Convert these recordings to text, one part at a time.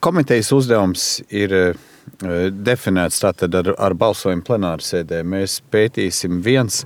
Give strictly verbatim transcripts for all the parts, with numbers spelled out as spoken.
Komitejas uzdevums ir definēts tātad ar, ar balsojumu plenāru sēdē. Mēs pētīsim viens,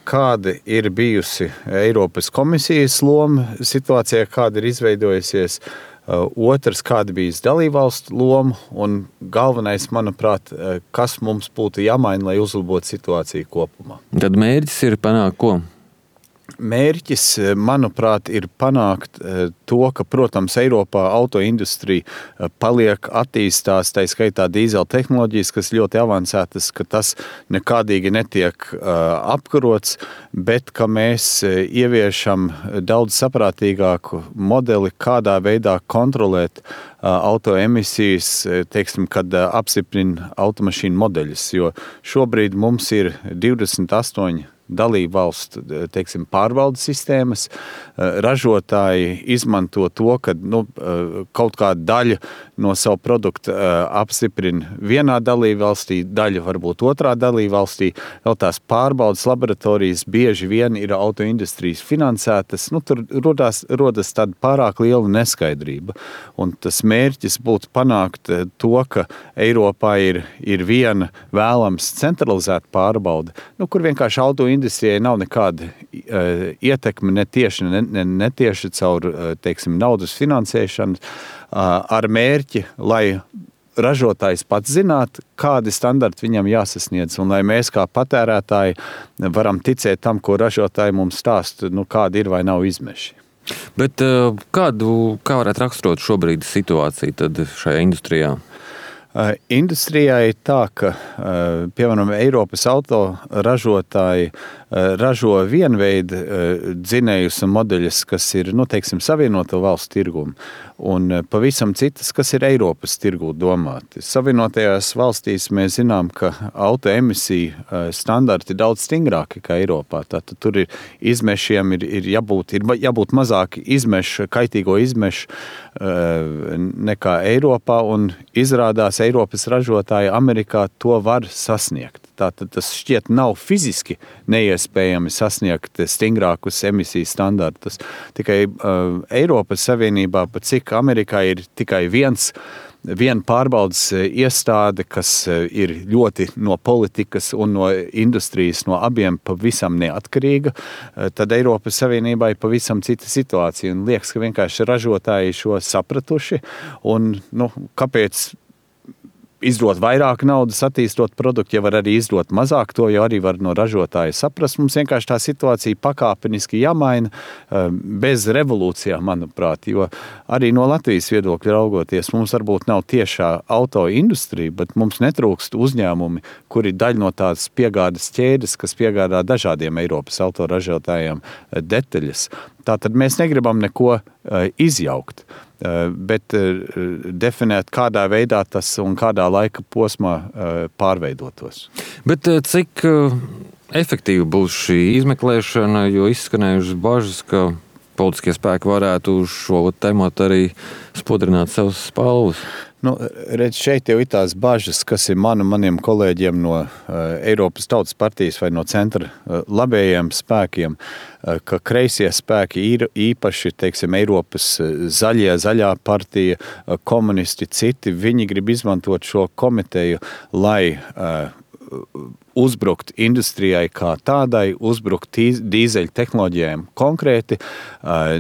kāda ir bijusi Eiropas komisijas loma situācijā, kāda ir izveidojusies. Otrs, kāda bijis dalībvalstu loma, un galvenais, manuprāt, kas mums būtu jāmaina, lai uzlabotu situāciju kopumā. Tad mērķis ir panākt ko? Mērķis, manuprāt, ir panākt to, ka, protams, Eiropā autoindustrija paliek, attīstās, tā skaitā dīzeļa tehnoloģijas, kas ļoti avansētas, ka tas nekādīgi netiek apkarots, bet ka mēs ieviešam daudz saprātīgāku modeli, kādā veidā kontrolēt autoemisijas, teiksim, kad apstiprina automašīnu modeļus, jo šobrīd mums ir divdesmit astoņi dalību valstu, teiksim, pārvaldes sistēmas. Ražotāji izmanto to, ka nu, kaut kāda daļa no savu produktu apstiprina vienā dalību valstī, daļa varbūt otrā dalību valstī. Vēl tās pārbaudas laboratorijas bieži vien ir autoindustrijas finansētas. Nu, tur rodas, rodas tāda pārāk liela neskaidrība. Un tas mērķis būtu panākt to, ka Eiropā ir, ir viena vēlams centralizēta pārbauda, nu, kur vienkārši autoindustrija industrijai nav nekāda uh, ietekme ne tieši, ne, ne, netieši caur, uh, teiksim, naudas finansēšanu uh, ar mērķi, lai ražotājs pats zinātu, kādi standarti viņam jāsasniedz, un lai mēs kā patērētāji varam ticēt tam, ko ražotāji mums stāst, nu, kādi ir vai nav izmeši. Bet uh, kādu, kā varētu raksturot šobrīd situāciju tad šajā industrijā? Industrijā ir tā, ka, piemēram, Eiropas autoražotāji ražo vienveidu dzinējus un modeļus, kas ir, nu, teiksim, savienoto valstu tirgumu, un pavisam citas, kas ir Eiropas tirgū domāti. Savienotajās valstīs mēs zinām, ka autoemisiju standarti ir daudz stingrāki kā Eiropā. Tātad tur ir izmešiem ir, ir jābūt, ir jābūt mazāk izmešu, kaitīgo izmešu nekā Eiropā, un izrādās Eiropas ražotāji Amerikā to var sasniegt. Tātad tas šķiet nav fiziski neiespējami sasniegt stingrākus emisiju standartus. Tikai uh, Eiropas Savienībā, pat cik Amerikā ir tikai viens, viena pārbaudas iestāde, kas ir ļoti no politikas un no industrijas, no abiem pavisam neatkarīga, tad Eiropas Savienībā ir pavisam cita situācija. Un liekas, ka vienkārši ražotāji šo sapratuši, un nu, kāpēc izdot vairāk naudas, attīstot produktu, ja var arī izdot mazāk, to jau arī var no ražotāja saprast. Mums vienkārši tā situācija pakāpeniski jāmaina bez revolūcijām, manuprāt, jo arī no Latvijas viedokļa raugoties, mums varbūt nav tiešā autoindustrija, bet mums netrūkst uzņēmumi, kuri daļa no tādas piegādes ķēdes, kas piegādā dažādiem Eiropas autoražotājiem detaļas. Tātad mēs negribam neko izjaukt, bet definēt, kādā veidā tas un kādā laika posmā pārveidotos. Bet cik efektīva būs šī izmeklēšana, jo izskanējušas bažas, ka politiskie spēki varētu uz šo tematu arī spodrināt savus spalvus? Nu, redz, šeit jau ir tās bažas, kas ir man un maniem kolēģiem no uh, Eiropas Tautas partijas vai no centra uh, labējiem spēkiem, uh, ka kreisie spēki ir īpaši, teiksim, Eiropas zaļie, zaļā partija, uh, komunisti, citi, viņi grib izmantot šo komiteju, lai uh, uzbrukt industrijai kā tādai, uzbrukt dīzeļu tehnoloģijām konkrēti,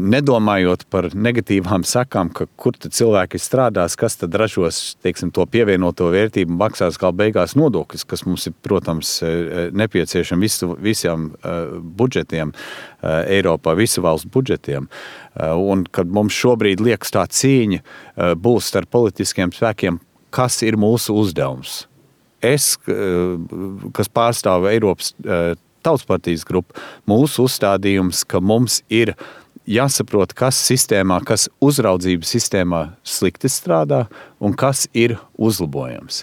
nedomājot par negatīvām sekām, ka kur tad cilvēki strādās, kas tad ražos, teiksim, to pievienoto vērtību, maksās gal beigās nodokļus, kas mums ir, protams, nepieciešami visu, visiem budžetiem Eiropā, visu valstu budžetiem. Un kad mums šobrīd liekas tā cīņa būs starp politiskiem spēkiem, kas ir mūsu uzdevums. Es, kas pārstāv Eiropas Tautas partijas grupu, mūsu uzstādījums, ka mums ir jāsaprot, kas sistēmā, kas uzraudzības sistēmā slikti strādā un kas ir uzlabojams.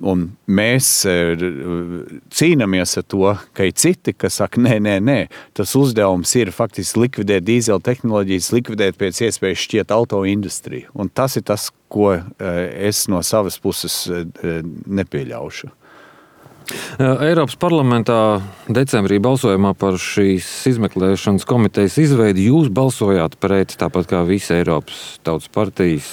Un mēs cīnāmies ar to, ka ir citi, kas saka, nē, nē, nē, tas uzdevums ir faktiski likvidēt dīzeļu tehnoloģijas, likvidēt pēc iespējas šķiet autoindustriju. Un tas ir tas, ko es no savas puses nepieļaušu. Eiropas parlamentā decembrī balsojumā par šīs izmeklēšanas komitejas izveidi jūs balsojāt pret, tāpat kā visa Eiropas Tautas partijas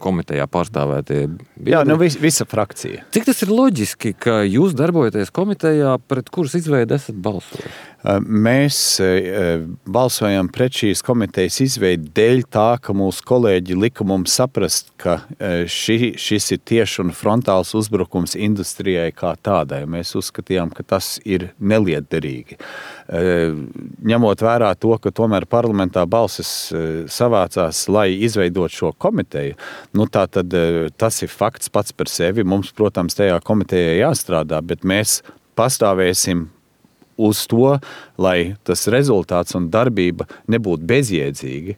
komitejā pārstāvētie biedri. Jā, nu vis, visa frakcija. Cik tas ir loģiski, ka jūs darbojaties komitejā, pret kuras izveidi esat balsojuši? Mēs balsojam pret šīs komitejas izveidi dēļ tā, ka mūsu kolēģi lika mums saprast, ka ši, šis ir tieši un frontāls uzbrukums industrijai kā tādai. Mēs uzskatījām, ka tas ir nelietderīgi. Ņemot vērā to, ka tomēr parlamentā balsis savācās, lai izveidot šo komiteju, nu tā tad tas ir fakts pats par sevi. Mums, protams, tajā komitejā jāstrādā, bet mēs pastāvēsim uz to, lai tas rezultāts un darbība nebūtu bezjēdzīgi,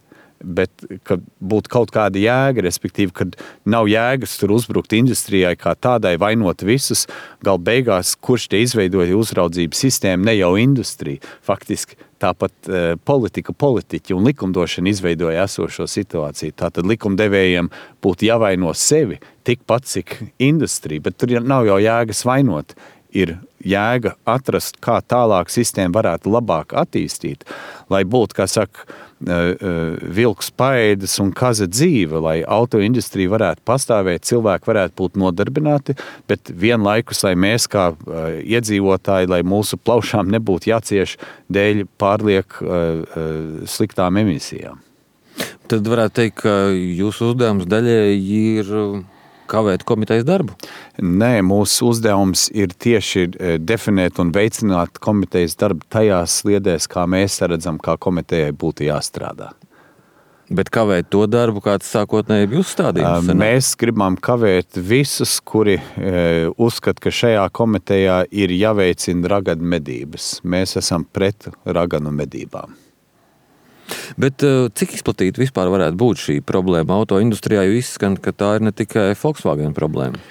bet ka būtu kaut kāda jēga, respektīvi, kad nav jēgas tur uzbrukt industrijai kā tādai, vainot visus, gal beigās, kurš te izveidoja uzraudzības sistēmu, ne jau industrija. Faktiski tāpat e, politika, politiķi un likumdošana izveidoja esošo situāciju. Tātad likumdevējiem būtu jāvaino sevi tikpat, cik industrija, bet tur nav jau jēgas vainot. Ir jēga atrast, kā tālāk sistēmu varētu labāk attīstīt, lai būtu, kā saka, vilks paēdas un kaza dzīve, lai autoindustrija varētu pastāvēt, cilvēki varētu būt nodarbināti, bet vienlaikus, lai mēs kā iedzīvotāji, lai mūsu plaušām nebūtu jācieš dēļ pārliek sliktām emisijām. Tad varētu teikt, ka jūsu uzdevums daļēji ir kavēt komitejas darbu? Nē, mūsu uzdevums ir tieši definēt un veicināt komitejas darbu tajās sliedēs, kā mēs redzam, kā komitejai būtu jāstrādā. Bet kavēt to darbu, kāds sākotnēji bija uzstādījums? Mēs gribam kavēt visus, kuri uzskata, ka šajā komitejā ir jāveicina raganu medības. Mēs esam pret raganu medībām. Bet cik izplatīta vispār varētu būt šī problēma autoindustrijā, jo izskan, ka tā ir ne tikai Volkswagen problēma?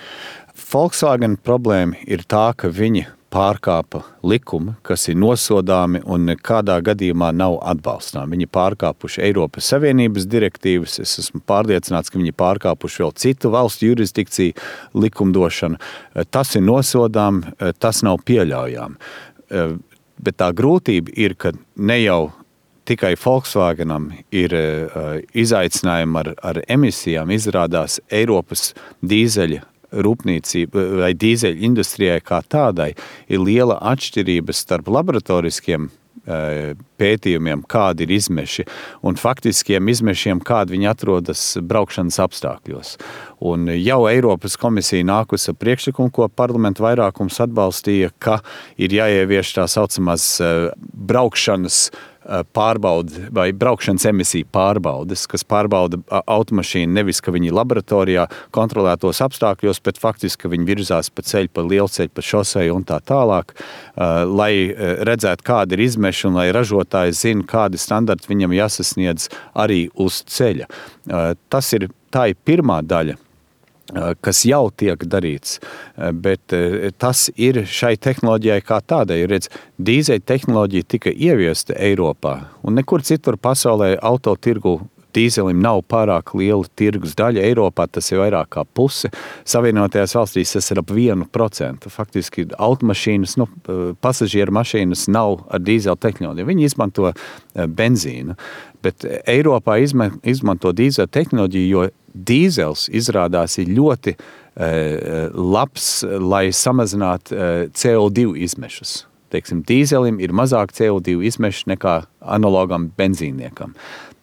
Volkswagen problēma ir tā, ka viņi pārkāpa likumu, kas ir nosodāmi un nekādā gadījumā nav atbalstām. Viņi pārkāpuši Eiropas Savienības direktīvas, es esmu pārliecināts, ka viņi pārkāpuši vēl citu valstu jurisdikciju likumdošanu. Tas ir nosodām, tas nav pieļaujām. Bet tā grūtība ir, ka ne jau tikai Volkswagenam ir uh, izaicinājumi ar, ar emisijām, izrādās Eiropas dīzeļa rūpniecība vai dīzeļa industrijai kā tādai ir liela atšķirība starp laboratoriskiem uh, pētījumiem, kādi ir izmeši, un faktiskiem izmešiem, kādi viņi atrodas braukšanas apstākļos. Un jau Eiropas komisija nākus ar priekšlikumu, ko parlamentu vairākums atbalstīja, ka ir jāievieš tā saucamās uh, braukšanas pārbauda vai braukšanas emisiju pārbaudes, kas pārbauda automašīnu nevis, ka viņi laboratorijā kontrolētos apstākļos, bet faktiski, ka viņi virzās pa ceļu, pa lielceļu, pa šoseju un tā tālāk, lai redzētu, kāda ir izmeša un lai ražotāji zina, kādi standarti viņam jāsasniedz arī uz ceļa. Tas ir, tā ir pirmā daļa, kas jau tiek darīts, bet tas ir šai tehnoloģijai kā tādai. Redz, dīzeļa tehnoloģija tika ieviesta Eiropā, un nekur citur pasaulē autotirgu dīzelim nav pārāk liela tirgus daļa. Eiropā tas ir vairāk kā puse. Savienotajās valstīs tas ir ap vienu procentu. Faktiski automašīnas, nu, pasažieru mašīnas nav ar dīzeļa tehnoloģiju. Viņi izmanto benzīnu, bet Eiropā izmanto dīzeļa tehnoloģiju, jo dīzels izrādās ir ļoti uh, labs, lai samazinātu uh, C O divi izmešus. Teiksim, dīzelim ir mazāk C O divi izmeši nekā analogam benzīniekam.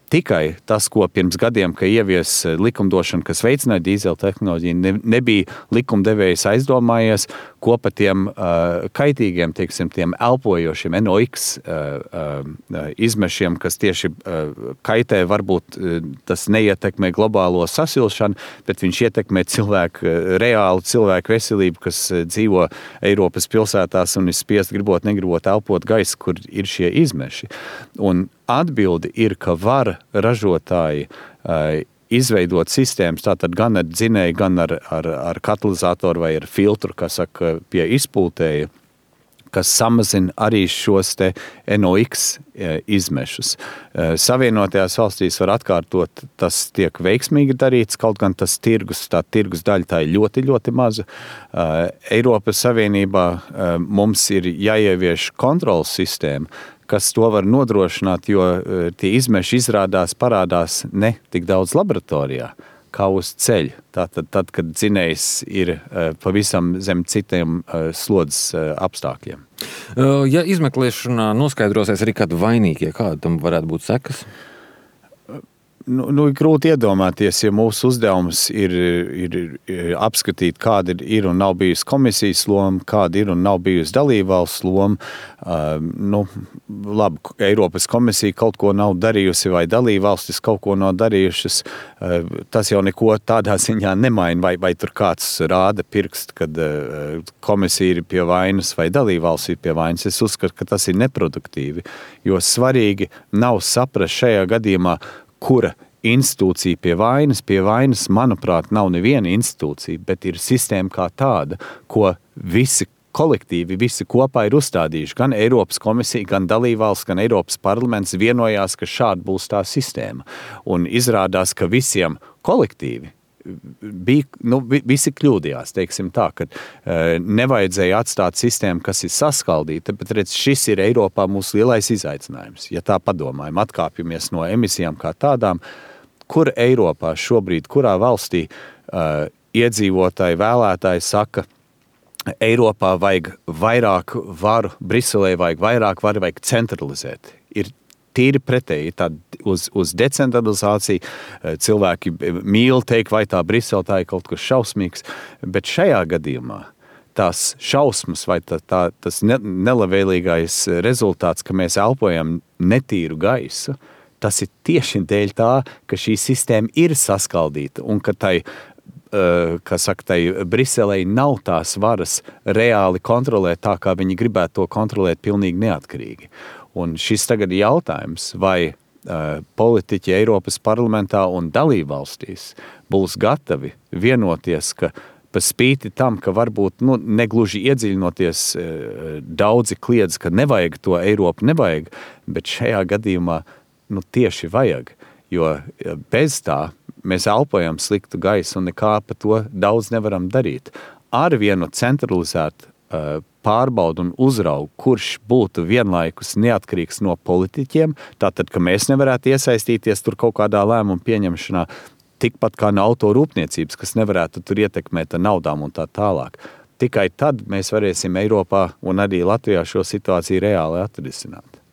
Tikai tas, ko pirms gadiem, ka ievies likumdošana, kas veicināja dīzeļa tehnoloģiju, ne, nebija likumdevējs aizdomājies, ko pa tiem uh, kaitīgiem, teiksim, tiem elpojošiem N O X uh, uh, izmešiem, kas tieši uh, kaitē, varbūt uh, tas neietekmē globālo sasilšanu, bet viņš ietekmē cilvēku, uh, reālu cilvēku veselību, kas uh, dzīvo Eiropas pilsētās un ir spiest gribot, negribot elpot gaisu, kur ir šie izmeši. Un atbildi ir, ka var ražotāji uh, izveidot sistēmas, tātad gan ar dzinēju, gan ar, ar, ar katalizatoru vai ar filtru, kas saka, pie izpūtēja, kas samazina arī šos te N O X uh, izmešus. Uh, Savienotajās valstīs var atkārtot, tas tiek veiksmīgi darīts, kaut gan tas tirgus, tā tirgus daļa tā ir ļoti, ļoti maza. Uh, Eiropas Savienībā uh, mums ir jāievieš kontrolas sistēma, kas to var nodrošināt, jo tie izmeši izrādās parādās ne tik daudz laboratorijā. kā uz ceļa. Tātad, tad, kad dzinējs ir pavisam zem citiem slodzes apstākļiem. Ja izmeklēšanā noskaidrosies arī kādi vainīgie, kāda tam varētu būt sekas? Nu, nu, grūti iedomāties, ja mūsu uzdevums ir, ir, ir apskatīt, kāda ir, ir un nav bijusi komisijas loma, kāda ir un nav bijusi dalībvalsts loma. Uh, nu, labi, Eiropas komisija kaut ko nav darījusi vai dalībvalstis kaut ko nav darījušas. Uh, tas jau neko tādā ziņā nemaina, vai, vai tur kāds rāda pirkst, kad uh, komisija ir pie vainas vai dalībvalsts ir pie vainas. Es uzskatu, ka tas ir neproduktīvi, jo svarīgi nav saprast šajā gadījumā, kura institūcija pie vainas. Pie vainas, manuprāt, nav neviena institūcija, bet ir sistēma kā tāda, ko visi kolektīvi, visi kopā ir uzstādījuši. Gan Eiropas komisija, gan dalībvalsts, gan Eiropas parlaments vienojās, ka šāda būs tā sistēma. Un izrādās, ka visiem kolektīvi bija, nu, visi kļūdījās, teiksim tā, ka uh, nevajadzēja atstāt sistēmu, kas ir saskaldīta, bet redz, šis ir Eiropā mūsu lielais izaicinājums. Ja tā padomājam, atkāpjamies no emisijām kā tādām, kur Eiropā šobrīd, kurā valstī uh, iedzīvotāji, vēlētāji saka, Eiropā vajag vairāk varu, Briselē vajag vairāk varu, vajag centralizēt. Ir tīri pretēji, tā uz, uz decentralizāciju cilvēki mīl teikt, vai tā Brisele tā ir kaut kas šausmīgs, bet šajā gadījumā tās šausmas vai tā, tā, tas ne, nelabvēlīgais rezultāts, ka mēs elpojam netīru gaisu, tas ir tieši dēļ tā, ka šī sistēma ir saskaldīta un ka tai kā saka, tai Briselei nav tās varas reāli kontrolēt tā, kā viņi gribētu to kontrolēt pilnīgi neatkarīgi. Un šis tagad ir jautājums, vai uh, politiķi Eiropas parlamentā un dalībvalstīs būs gatavi vienoties, ka pa spīti tam, ka varbūt nu, negluži iedziļinoties uh, daudzi kliedz, ka nevajag to Eiropu, nevajag, bet šajā gadījumā nu, tieši vajag, jo bez tā mēs elpojam sliktu gaisu un nekā pa to daudz nevaram darīt. Ar vienu centralizētu uh, pārbaudu un uzraugu, kurš būtu vienlaikus neatkarīgs no politiķiem, tātad, ka mēs nevarētu iesaistīties tur kaut kādā lēmuma pieņemšanā, tikpat kā no autorūpniecības, kas nevarētu tur ietekmēt ar naudām un tā tālāk. Tikai tad mēs varēsim Eiropā un arī Latvijā šo situāciju reāli atrisināt.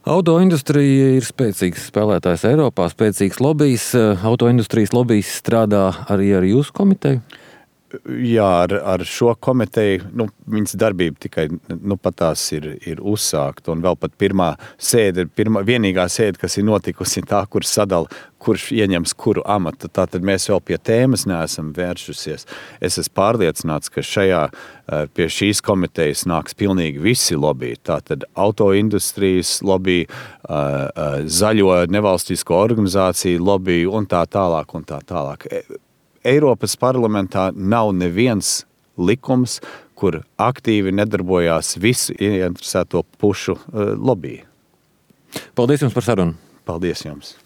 Autoindustrija ir spēcīgs spēlētājs Eiropā, spēcīgs lobijs. Autoindustrijas lobijs strādā arī ar jūsu komiteju? Jā, ar, ar šo komiteju, nu, viņas darbība tikai, nu, pat tās ir, ir uzsākta, un vēl pat pirmā sēde, pirmā, vienīgā sēde, kas ir notikusi tā, kur sadala, kurš ieņems kuru amatu, tātad mēs vēl pie tēmas neesam vēršusies. Es esmu pārliecināts, ka šajā, pie šīs komitejas nāks pilnīgi visi lobby, tātad autoindustrijas lobby, zaļo nevalstisko organizāciju lobby un tā tālāk un tā tālāk. Eiropas parlamentā nav neviens likums, kur aktīvi nedarbojās visu ieinteresēto pušu lobby. Paldies jums par sarunu. Paldies jums.